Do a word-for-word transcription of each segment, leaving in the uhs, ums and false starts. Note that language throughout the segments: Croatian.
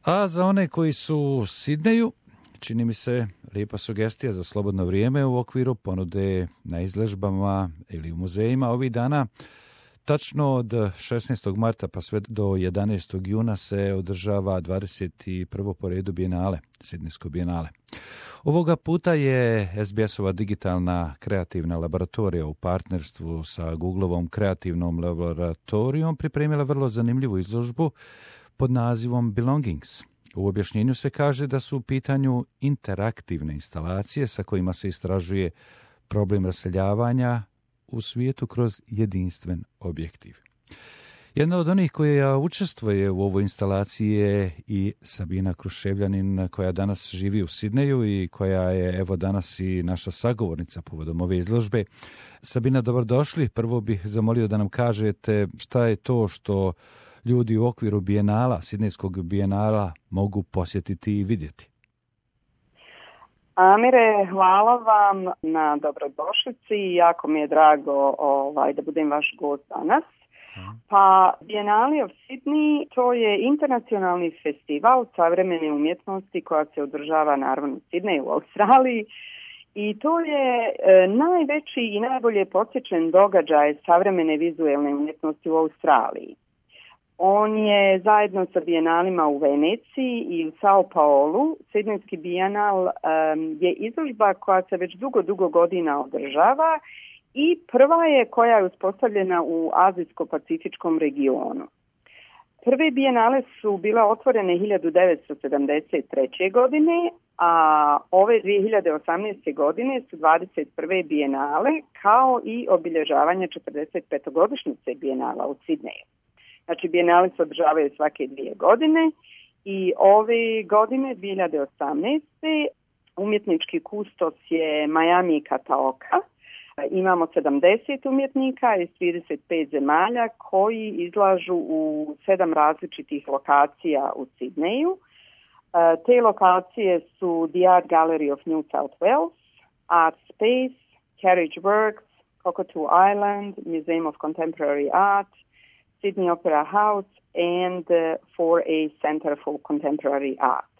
A za one koji su u Sidneju, čini mi se lijepa sugestija za slobodno vrijeme u okviru ponude na izložbama ili u muzejima ovih dana. Tačno od šesnaestog marta pa sve do jedanaestog juna se održava dvadeset prvo po redu bijenale, Sidnejsko bijenale. Ovoga puta je es be es-ova digitalna kreativna laboratorija u partnerstvu sa Googleovom kreativnom laboratorijom pripremila vrlo zanimljivu izložbu pod nazivom Belongings. U objašnjenju se kaže da su u pitanju interaktivne instalacije sa kojima se istražuje problem raseljavanja u svijetu kroz jedinstven objektiv. Jedna od onih koja učestvuje u ovoj instalaciji je i Sabina Kruševljanin, koja danas živi u Sidneju i koja je evo danas i naša sagovornica povodom ove izložbe. Sabina, dobrodošli. Prvo bih zamolio da nam kažete šta je to što ljudi u okviru bijenala, Sidnejskog bijenala, mogu posjetiti i vidjeti. Amire, hvala vam na dobrodošlici. Jako mi je drago ovaj, da budem vaš gost danas. Pa Biennale of Sydney to je internacionalni festival savremene umjetnosti koja se održava naravno u Sidneju u Australiji i to je e, najveći i najbolje posjećen događaj savremene vizualne umjetnosti u Australiji. On je zajedno sa bijenalima u Veneciji i u Sao Paulu. Sidnejski bijenal um, je izložba koja se već dugo, dugo godina održava i prva je koja je uspostavljena u azijsko-pacifičkom regionu. Prve bijenale su bile otvorene hiljadu devetsto sedamdeset treće. godine, a ove dvije hiljade osamnaeste. godine su dvadeset prve bijenale kao i obilježavanje četrdeset petogodišnjice bijenala u Sidneju. Znači, bijenale se održavaju svake dvije godine i ove godine, dvije hiljade osamnaeste. umjetnički kustos je Miami Kataoka. Imamo sedamdeset umjetnika iz trideset pet zemalja koji izlažu u sedam različitih lokacija u Sidneju. Te lokacije su The Art Gallery of New South Wales, Art Space, Carriage Works, Cockatoo Island, Museum of Contemporary Art, Sydney Opera House and uh, four A Center for Contemporary Art.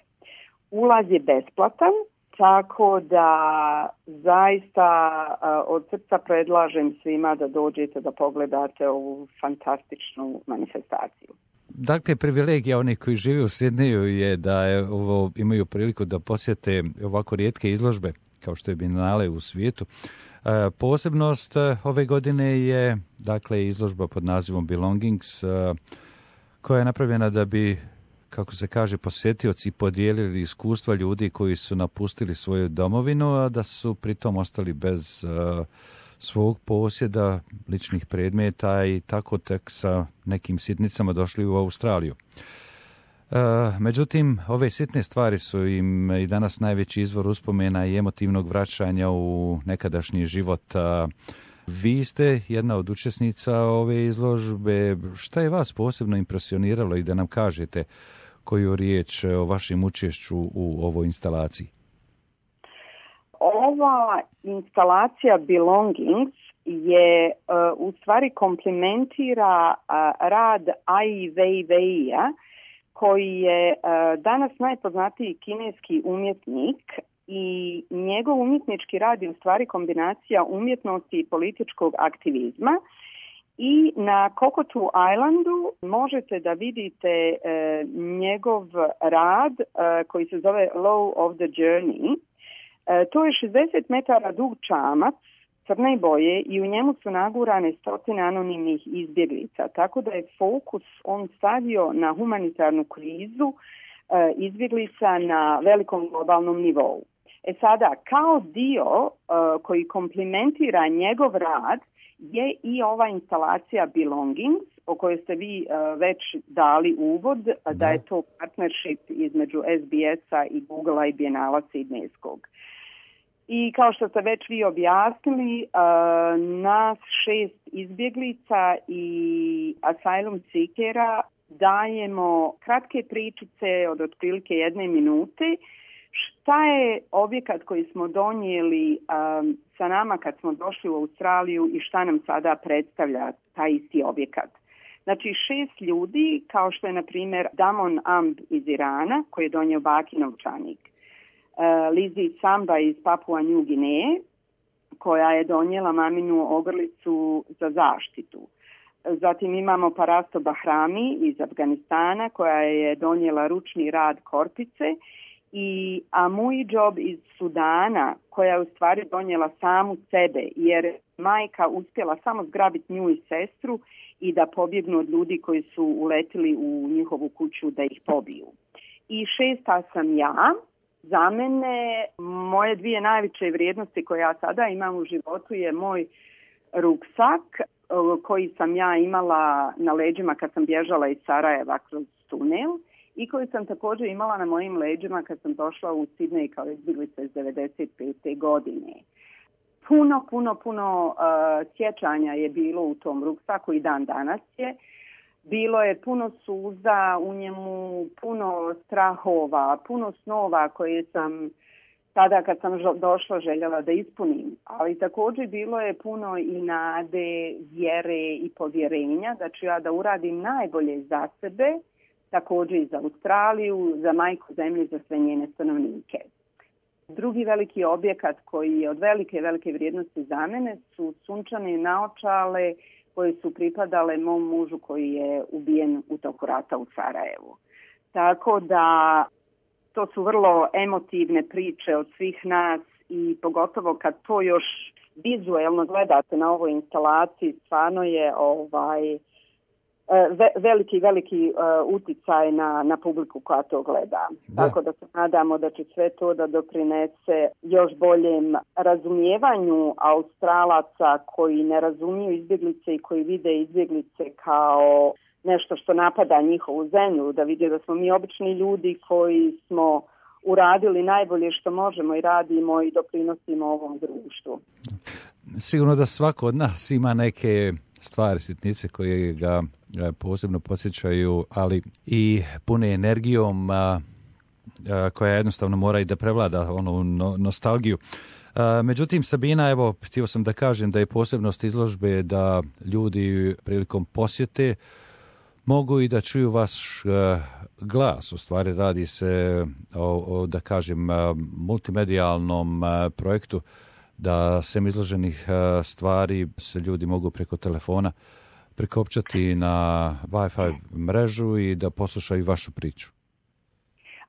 Ulaz je besplatan, tako da zaista uh, od srca predlažem svima da dođete da pogledate ovu fantastičnu manifestaciju. Dakle, privilegija onih koji žive u Sidneju je da je ovo, imaju priliku da posjete ovako rijetke izložbe kao što je Biennale u svijetu. E, posebnost ove godine je dakle izložba pod nazivom Belongings e, koja je napravljena da bi, kako se kaže, posjetioci podijelili iskustva ljudi koji su napustili svoju domovinu, a da su pritom ostali bez e, svog posjeda, ličnih predmeta i tako tek sa nekim sitnicama došli u Australiju. E, međutim, ove sitne stvari su im i danas najveći izvor uspomena i emotivnog vraćanja u nekadašnji život. A vi ste jedna od učesnica ove izložbe. Šta je vas posebno impresioniralo i da nam kažete koju riječ o vašem učešću u ovoj instalaciji? Ova instalacija Belongings je uh, u stvari komplementira uh, rad Ai Weiwei-a, koji je uh, danas najpoznatiji kineski umjetnik i njegov umjetnički rad je u stvari kombinacija umjetnosti i političkog aktivizma. I na Cockatoo Islandu možete da vidite uh, njegov rad uh, koji se zove Law of the Journey. Uh, to je šezdeset metara dug čamac crne boje i u njemu su nagurane stotine anonimnih izbjeglica, tako da je fokus on stavio na humanitarnu krizu e, izbjeglica na velikom globalnom nivou. E sada, kao dio e, koji komplementira njegov rad je i ova instalacija Belongings, o kojoj ste vi e, već dali uvod, da. da je to partnership između es be es-a i Googlea i Biennala Sidnejskog. I kao što ste već vi objasnili, uh, nas šest izbjeglica i asylum seekera dajemo kratke pričice od otprilike jedne minute. Šta je objekat koji smo donijeli um, sa nama kad smo došli u Australiju i šta nam sada predstavlja taj isti objekat. Znači šest ljudi, kao što je na primjer Damon Amb iz Irana, koji je donio baki novčanik. Lizzie Samba iz Papua New Guinea, koja je donijela maminu ogrlicu za zaštitu. Zatim imamo Parasto Bahrami iz Afganistana, koja je donijela ručni rad korpice, i Amujjob iz Sudana, koja je u stvari donijela samu sebe, jer majka uspjela samo zgrabiti nju i sestru i da pobjegnu od ljudi koji su uletili u njihovu kuću da ih pobiju. I šesta sam ja. Za mene, moje dvije najveće vrijednosti koje ja sada imam u životu je moj ruksak koji sam ja imala na leđima kad sam bježala iz Sarajeva kroz tunel i koji sam također imala na mojim leđima kad sam došla u Sidnej kao izbjeglica iz devedeset pete. godine. Puno, puno, puno uh, sjećanja je bilo u tom ruksaku i dan danas je. Bilo je puno suza u njemu, puno strahova, puno snova koje sam tada kad sam došla željela da ispunim. Ali također bilo je puno i nade, vjere i povjerenja da ću ja da uradim najbolje za sebe, također i za Australiju, za majku zemlje, za sve njene stanovnike. Drugi veliki objekat koji je od velike, velike vrijednosti za mene su sunčane naočale koje su pripadale mom mužu koji je ubijen u toku rata u Sarajevu. Tako da to su vrlo emotivne priče od svih nas i pogotovo kad to još vizuelno gledate na ovoj instalaciji, stvarno je ovaj ve, veliki, veliki uh, uticaj na, na publiku koja to gleda. Da. Tako da se nadamo da će sve to da doprinese još boljem razumijevanju Australaca koji ne razumiju izbjeglice i koji vide izbjeglice kao nešto što napada njihovu zemlju, da vide da smo mi obični ljudi koji smo uradili najbolje što možemo i radimo i doprinosimo ovom društvu. Sigurno da svako od nas ima neke stvari, sitnice koje ga posebno podsjećaju, ali i pune energijom, a, a, koja jednostavno mora i da prevlada onu no, nostalgiju. A, međutim, Sabina, evo, htio sam da kažem da je posebnost izložbe da ljudi prilikom posjete mogu i da čuju vaš uh, glas. U stvari radi se o, o da kažem, uh, multimedijalnom uh, projektu da sem izloženih uh, stvari se ljudi mogu preko telefona prikopčati na Wi-Fi mrežu i da poslušaju vašu priču.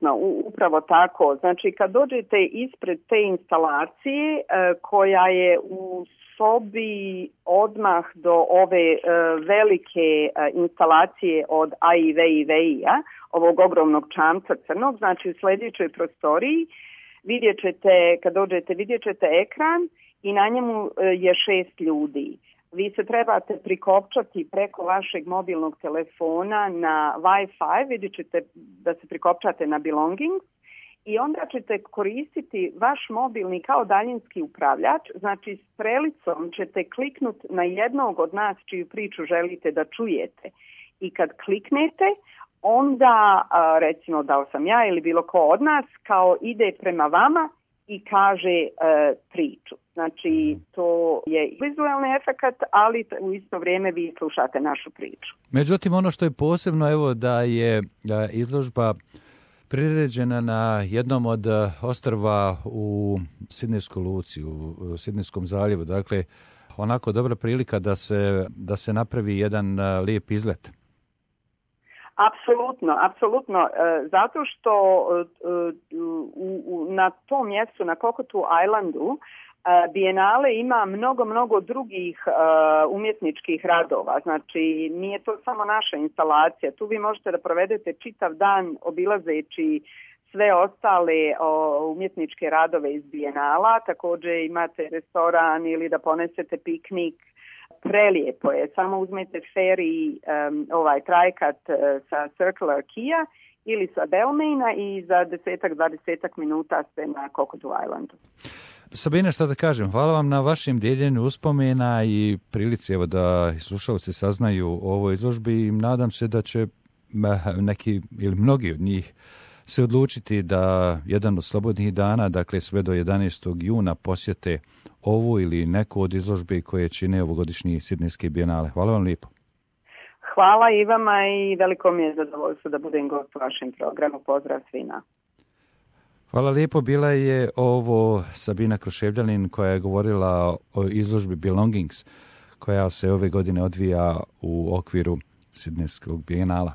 No, upravo tako. Znači, kad dođete ispred te instalacije uh, koja je u sobi odmah do ove uh, velike uh, instalacije od Ai Weiwei-a, ovog ogromnog čamca crnog, znači u sljedećoj prostoriji vidjet ćete, kad dođete, vidjet ćete ekran i na njemu uh, je šest ljudi. Vi se trebate prikopčati preko vašeg mobilnog telefona na Wi-Fi, vidjet ćete da se prikopčate na Belongings, i onda ćete koristiti vaš mobilni kao daljinski upravljač, znači s prelicom ćete kliknuti na jednog od nas čiju priču želite da čujete. I kad kliknete, onda recimo dao sam ja ili bilo ko od nas, kao ide prema vama i kaže uh, priču. Znači to je vizualni efekt, ali u isto vrijeme vi slušate našu priču. Međutim, ono što je posebno, evo, da je izložba priređena na jednom od ostrva u Sidnejskoj luci, u Sidnejskom zaljevu. Dakle, onako dobra prilika da se, da se napravi jedan lijep izlet. Apsolutno, apsolutno. Zato što u, u, na tom mjestu, na Cockatoo Islandu, Bienale ima mnogo, mnogo drugih uh, umjetničkih radova. Znači, nije to samo naša instalacija. Tu vi možete da provedete čitav dan obilazeći sve ostale uh, umjetničke radove iz Bienala. Također imate restoran ili da ponesete piknik. Prelijepo je. Samo uzmete ferry, um, ovaj trajkat uh, sa Circular Quay ili sa Balmaina i za desetak, dvadesetak minuta ste na Cockatoo Islandu. Sabina, što da kažem, hvala vam na vašem dijeljenju uspomena i prilici, evo, da slušalci saznaju o ovoj izložbi i nadam se da će neki ili mnogi od njih se odlučiti da jedan od slobodnih dana, dakle sve do jedanaestog juna, posjete ovu ili neku od izložbi koje čine ovogodišnji Sidnejski bijenale. Hvala vam lijepo. hvala i vama i veliko mi je zadovoljstvo da budem gost u vašem programu. Pozdrav svima. Hvala lijepo. Bila je ovo Sabina Kruševljanin koja je govorila o izložbi Belongings koja se ove godine odvija u okviru Sidnejskog bijenala.